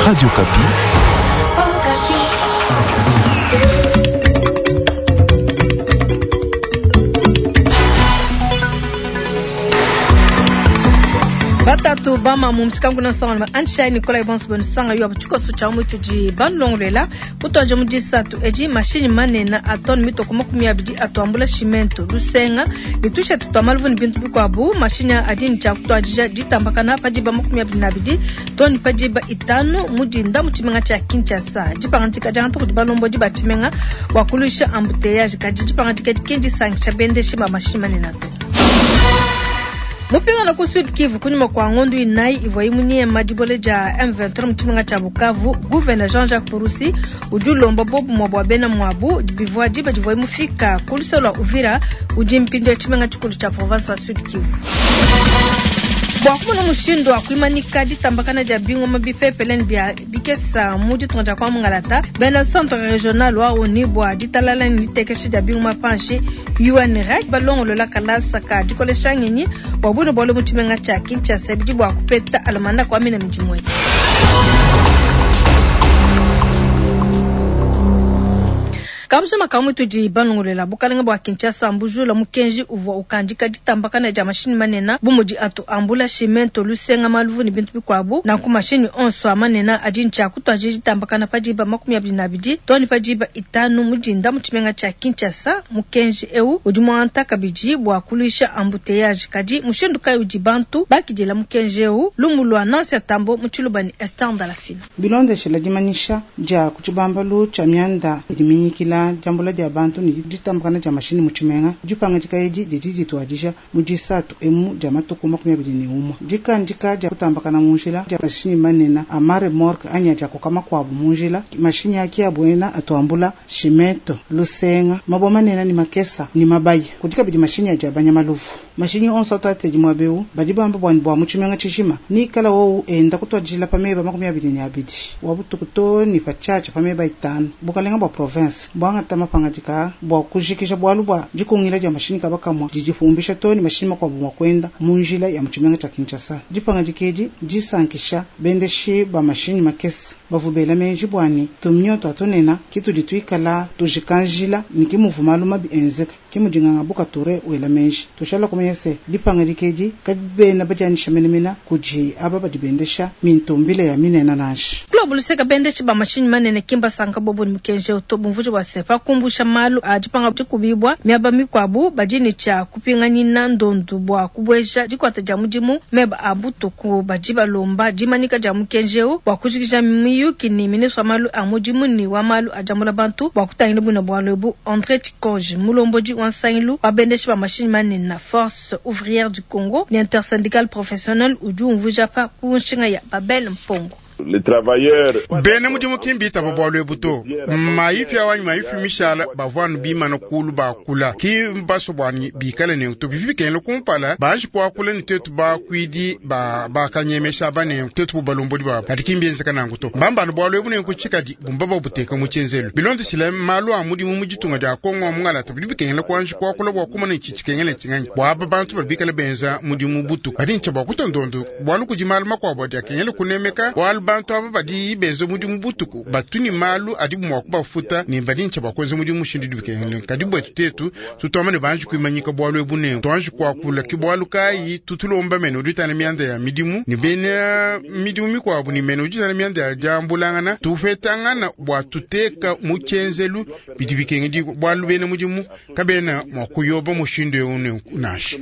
Radio Okapi. Batatu bamamu mtshikangu na nsanga anshai Nikolai bonso benu sanga yo tshikoso tshia mutu di balongolwela kutwaje mu disatu edi mashinyi manene a tone mitoko 20 atuambula cimento lusenga litusha tutwa maluvu ni bintu bikwabu mashinyi adi ni tshia kutwadija ditambakana padiba 22 tone padiba 5 mudinda mu tshimenga tshia Kinshasa. Dipangadika dia ntuku dibalombo diba tshimenga bua kuluisha embouteillage kadi dipangadika dikendi sangisha bendeshi ba mashinyi manene to. Mupingana ku Sud Kivu kunyuma kwa ngondu inayi ivua imunyema dibole dia M23 mu tshimenga tshia Bukavu. Gouverneur Jean-Jacques Purusi udi ulomba bobumwa bua bena mwabu bivua diba divua imufika ku lusolo lua Uvira udi mpindu ya tshimenga tshikulu tshia province wa Sud Kivu. Bua kumona mushindu wa kuimanika ditambakana dia bingoma bipepele ne bia bikesa mu ditunga dia kwa Mungalata, bena centre regional wa ONU bua ditalala ne ditekesha dia bingoma panshi UNREC balongolola kalasa ka dikolesha ngenyi bua buno bualu mu tshimenga tshia Kinshasa bidi bua kupeta alamanda kwa mina midimu eyi. Kamuse makamu tudi balongolela bukalenga bua Kinshasa mbujula mukenji uvua ukandika ditambakana dia mashinyi manene bu mudi atu ambula cimento lusenga maluvu ne bintu bikuabu nanku mashinyi onso a manene adi ntshia kutwaje ditambakana padiba 22 too ne padiba 5 mudinda mu tshimenga tshia Kinshasa. Mukenji eu udi muanta kabidi bua kuluisha embouteillage kadi mushindu kayi udi bantu bakidila mukenji eu lumu lua Nancy Tambo mu Tshiluba ne Esther Ndalafina. Bilondeshela dimanyisha dia ku tshibambalu tshia mianda idi minyikila diambula dia bantu ne ditambakana dia mashinyi mu tshimenga. Dipangadika edi didi dituadija mu disatu emu dia matuku 21. Dikandika dia kutambakana mu njila dia mashinyi manene a mare morgue anyi dia koka makuabu mu njila. Mashinyi aki abuena atuambula cimento, lusenga, mabwa manene ni makesa ni mabaya. Kudi kabidi mashinyi adi abanya maluvu. Mashinyi onso atu atedi mwabeu badi bamba bua bua mu tshimenga tshijima. Nikala wowu enda kutuadijila pa meba 22. Wa butuku to ni pa tshiatsha pa meba 5. Bukalenga bua province bwangata mapangadika bua kujikija bualu bua dikungila dia mashinyi kaba kamwa didifumbisha to ni mashinyi makuabu mua kuenda mu njila ya mu tshimenga tshia Kinshasa. Dipangadika edi disankisha bendeshi ba mashinyi makese bavubela menji bwani tumnyoto atonena kitudi tuikala tujikanjila ni kimuvu malu mabi enzeka kimudinganga buka ture wela menji tushala kumenya se dipangadika edi kabena badianisha menemena kudi aba badi bendesha mintumbile ya minena nansha. Club luseka bendeshi ba mashinyi manene kimba sanka bobo ni mukenje uto bumvuji bua se pa kumbusha malu a dipanga dikubibwa miaba mikuabu badi ne tshia kupinganyina ndondu bua kubweja dikwata dia mudimu meba a butuku badi balomba dimanika dia mukenje eu bua kujikija miyuki ni ministre wa malu a mudimu ni wa malu a diambula bantu bua kutangila buna bualu ebu. André Tshikoge mulombodi wa nsangilu wa bendeshi ba mashinyi manene na Force Ouvrière du Congo ni intersyndical professionnel udi umvuija pa ku nshinga ya Babel Mpongo. Les travailleurs bena mudimu kimbita babualu ebu to maifi awanyi maifi mishala bavwanu bimana kulu bakula ki mbaso bwani bikale ne to bivi bikengela kumpala baji kuakula ni tetu bakwidi ba bakanyemesha bane tetu bubalombodi babo kadi kimbienzeka nangu to mbambano bualu ebu nenku tshikadi bumba babuteka mu tshenzelu bilondeshile malu a mudimu mu ditunga dia Kongo mungalata bidi bikengela kuanji kuakula bua kumana itshi tshikengela tshinganyi bua aba bantu badi bikale benza mudimu butu badi ntsha bua kutondondo bualu kudi malu makuabu adi akengela kunemeka bualu bantu aba badi benza mudimu butuku batuni malu adi mua kubafuta ne badi ntsha bua kuenza mudimu mushindu bikengela kadi bwetu tetu tutwama ne banji kuimanyika bualu ebu ne tuanji kuakula ki bualu kayi tutulomba mene udi utana mianda ya midimu ne bena midimu mikuabu ne mene udi utana mianda ya diambulangana tufetangana bua tuteka mu tshenzelu bidi bikengedi bualu bena mudimu kabena mua kuyoba mushindu eu ne nansha.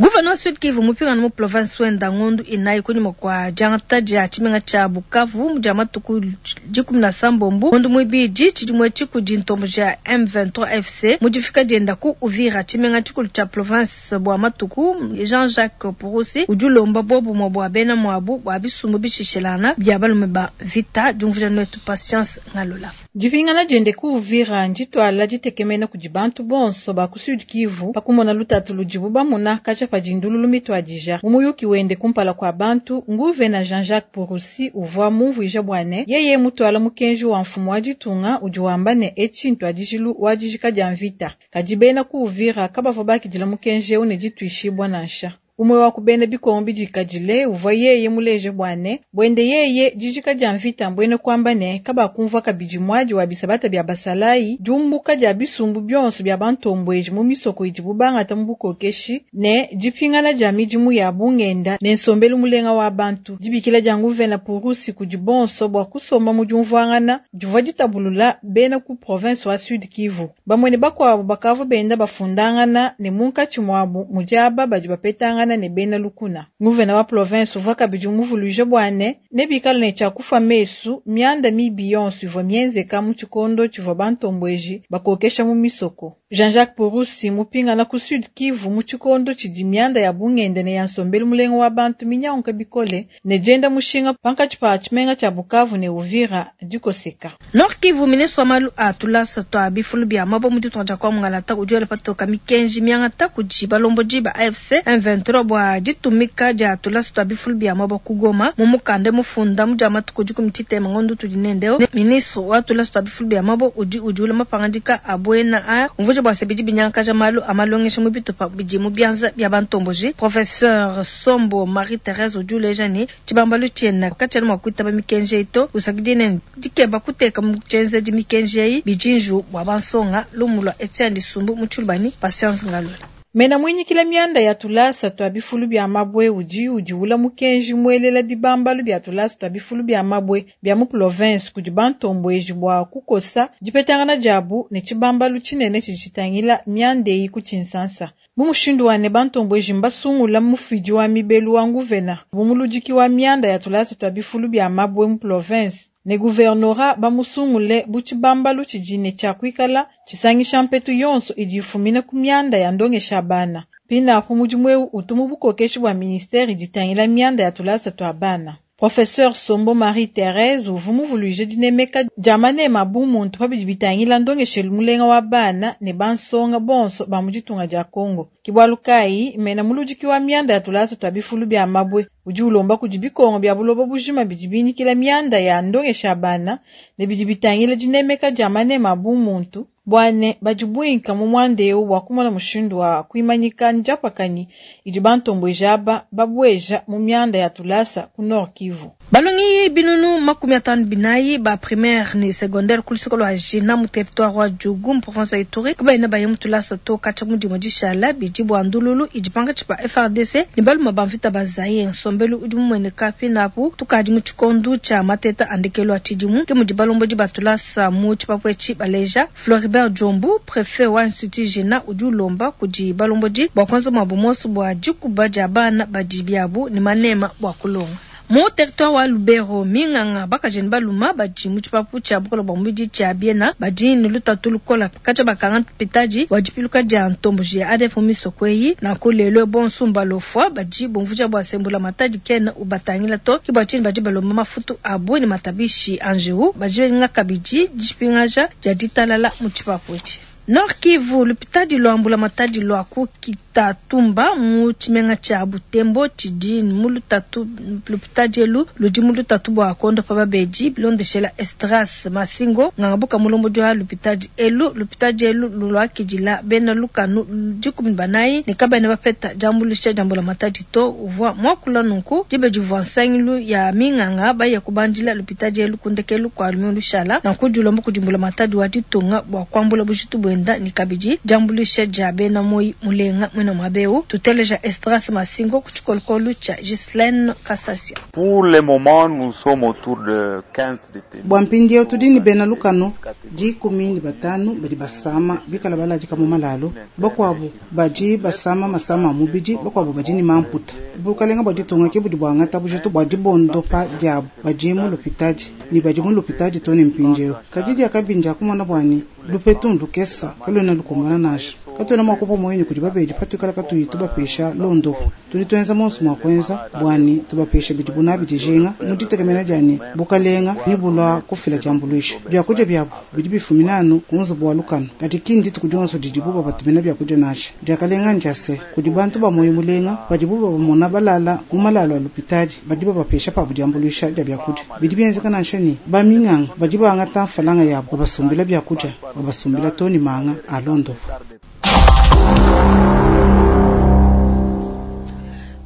Gouverneur Sud Kivu mupingana mu province wenda ngondu inayi kunyuma kwa diangata dia tshimenga tshia Bukavu dia matuku 17 ngondu muibidi tshidimue tshikudi ntombo dia M23 FC mudifika dienda ku Uvira tshimenga tshikulu tshia province bua matuku Jean-Jacques Purusi udi ulomba bobumue bua bena muabu bua bisumbu bishishelana bia balume ba vita diumvuija netu Patience Ngalola. Dipingana diende ku Uvira nditwala ditekemena kudi bantu bonso ba ku Sud Kivu pakumona lutatu ludibu bamuna katshia pa dindululu mitwadija. Mu muyuki wende kumpala kua bantu nguvena Jean-Jacques Purusi uvua mumvuija bua ne yeye mutwala mukenji wa mfumu wa ditunga udi wamba ne etshi ntwadijilu wa dijika dia mvita. Kadi bena ku Uvira kabavua bakidila mukenji eu ne dituishibua nansha. Umue wa ku bena bikongo bidikadile uvua yeye muleje bua ne, buende yeye dijika dia mvita mbuena kuamba ne, kabakumvua kabidi muadi wa bisabata bia basalayi, diumbuka dia bisumbu bionso bia bantombueji mu misoko idibu bangata mu bukokeshi ne dipingana dia midimu ya bungenda ne nsombelu mulenga wa bantu. Dibikila dia nguvena Purusi kudi bonso bua kusomba mu diumvuangana divua ditabulula bena ku province wa Sud Kivu. Bamue ne bakuabu bakavua benda bafundangana ne munkatshi muabu mudi aba badi bapetangana ne bena lukuna. Nguvena wa province uvua kabidi muvuluije bua ne, nebikale ne tshia kufa mesu mianda mibi yonso ivua mienzeka mu tshikondo tshivua bantombueji bakokesha mu misoko. Jean-Jacques Purusi mupingana ku Sud Kivu mu tshikondo tshidi mianda ya bungenda ne ya nsombelu mulenga wa bantu minyanguka bikole ne dienda mushinga pankatshi pa tshimenga tshia Bukavu ne Uvira dikoseka. Nord Kivu, ministre wa malu a tulasa twa bifulu bia mabue mu ditunga dia kwa Mungalata udi wela patoka mikenji miangata kudi balombodi ba AFC M23 bua ditumika dia tulasa twa bifulu bia mabue ku Goma. Mu mukanda mufunda mu dia matuku dikumi tshitema ngondo tudi nende, ministre wa tulasa twa bifulu bia mabue udi udiula mapangadika a buena a umvuija bua se bidi binyangakaja malu a malongesha mu bitupa bidi mu bianza bia bantomboji. Professeur Sombo Marie Therese udi uleja ne tshibambalu tshiena katshiena mua kuitaba mikenji eyi to, usakidile ne dikeba kuteka mu tshienzedi mikenji eyi bidi njiwu bua bansonga. Lumu lua Etienne Lisumbu mu Tshilubani, Patience Ngalula. Mena muinyikila mianda ya tulasa twa bifulu bia mabue udi udiula mukenji muelela bibambalu bia tulasa twa bifulu bia mabue bia mu province kudi bantombueji bua kukosa dipetangana diabu ne tshibambalu tshinene tshidi tshitangila mianda eyi ku Tshinsansa. Mu mushindu wa ne bantombueji mbasungula mufidi wa mibelu wa nguvena bu muludiki wa mianda ya tulasa twa bifulu bia mabue mu province ne guvernora bamusungule bu tshibambalu tshidi ne tshia kuikala tshisangisha mpetu yonso idi ifumina ku mianda ya ndongesha bana. Pinapo mudimu eu utu mu bukokeshi bua ministère ditangila mianda ya tulasa tua bana. Professeur Sombo Marie Therese uvua muvuluije dinemeka dia manema bu muntu pabidi bitangila ndongeshelu mulenga wa bana ne bansonga bonso ba mu ditunga dia Congo. Ke bualu kayi mena muludiki wa mianda ya tulasa tua bifulu bia mabue udi ulomba kudi bikongo bia buloba bujima bidi binyikila mianda ya ndongesha bana ne bidi bitangila dinemeka dia manema bu muntu bua ne badi buinka mu muanda eu bua kumona mushindu wa kuimanyika ndiapakanyi idi bantombueji aba babueja mu mianda ya tulasa ku Nord Kivu. Balongi binunu 54 ba primaire ne secondaire ku luseke lua Jina mu territoire wa Djugu mu province ya Ituri kabaena baye mu tulasa to katshia mu dimue dishala bidi bua ndululu idi pankatshi pa FARDC ne baluma ba mvita ba Zaire. Nsombelu udi mumueneka pinapu tukadi mu tshikondo tshia mateta a ndekelu a tshidimu ke mudi balombodi ba tulasa mu tshipapu etshi baleja. Floribert Djombu, prefet wa Institut Jina, udi ulomba kudi balombodi bua kuenza muabu monso bua dikuba dia bana badi biabu ne manema bua kulonga. Mu territoire wa Lubero, minganga bakaji ne baluma badi mu tshipapu tshia bukole bua mubidi tshia Biena badi ne lutatu lukola katshia bakanga mpitadi wa dipiluka dia ntomboji ya ADF mu misoko eyi. Nanku lelo bonso mbalofua badi bumvuija bua se mbulamatadi kena ubatangila to, ke bua tshinyi badi balomba mafutu abu ne matabishi a njiwu. Badi benga kabidi dipingaja dia ditalala mu tshipapu etshi. Nord Kivu, lupitadi lua mbulamatadi lua ku Kitatumba mu tshimenga tshia Butembo tshidi mu lutatu. Lupitadi elu ludi mu lutatu bua kuondopa babedi bilondeshela Esdras Masingo ngangabuka mulombodi wa lupitadi elu. Lupitadi elu luluakidila bena lukanu 14 ne kabena bapeta diambuluisha dia mbulamatadi to. Uvua muakula nunku diba divua nsangilu ya minganga baya kubandila lupitadi elu ku ndekelu kua lumingu lushala. Nanku dilomba kudi mbulamatadi wa ditunga bua kuambula bujitu buenda ne kabidi diambuluisha dia bena moyi mulenga mwena mwabeu. Tuteleja Esdras Masingo ku tshikolokolo tshia Ghislaine Kasasia. Pour le moment, nous sommes autour de 15 détenus. Bua mpindieu tudi ne bena lukanu 15 badi basama bikala baladika mu malalu, bakuabu badi basama masama a mubidi, bakuabu badi ne mamputa. Bukalenga bua ditunga ke budi buangata bujitu bua dibondopa diabu badi mu lupitadi ne badi mu lupitadi to ne mpindieu. Kadi diakabi ndia kumona bua ne lupetu ndukesa kaluena lukumbana nansha. Katuena mua kupua muoyo ne kudi babedi patuikala katuyi tubapesha londopu. Tudi tuenza monso mua kuenza bua ne tubapesha bidibu nabi dijinga mu ditekemena dia ne bukalenga ne bulua kufila diambuluisha. Biakudia biabu bidi bifumina anu ku nzubu wa lukanu, kadi ki ndituku dionso didibu babatumina biakudia nansha. Diakalenga ndia se kudi bantu ba muoyo mulenga padibu babamona balala mu malalu a lupitadi badi babapesha pabu diambuluisha dia biakudia. Bidi bienzeka nansha ne baminganga badi bangata mfalanga yabu babasumbila biakudia, babasumbila to ne manga a londopu.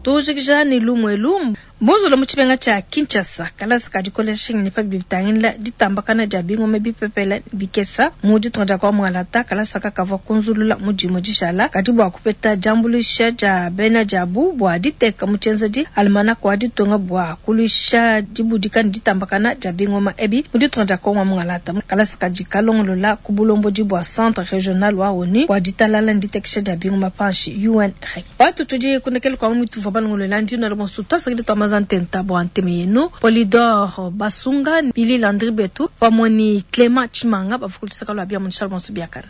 Tujikija ne lumu elu mbunzula mu tshimenga tshia Kinshasa kalasa ka dikolesha ngenyi pa bidi bitangila ditambakana dia bingoma bipepele bikesa mu ditunga dia kwa Mualata. Kalasa kakavua kunzulula mu dimue dishala kadi bua kupeta diambuluisha dia bena diabu bua diteka mu tshienzedi almanach wa ditunga bua kuluisha dibudika ne ditambakana dia bingoma ebi mu ditunga dia Kongo wa Mungalata. Kalasa kadi kalongolola ku bulombodi bua Centre Regional wa ONU bua ditalala ne ditekesha dia bingoma panshi UNREC. Batu tudi kundekelu kua mu tuvua balongolola ndi nalo bonso tuasakidi tua maza ntenta bua nteme yenu Polydor Basunga Billy Landry Betu pamue ne Clement Tshimanga bavua ku luseke lua bia mu bonso biakana.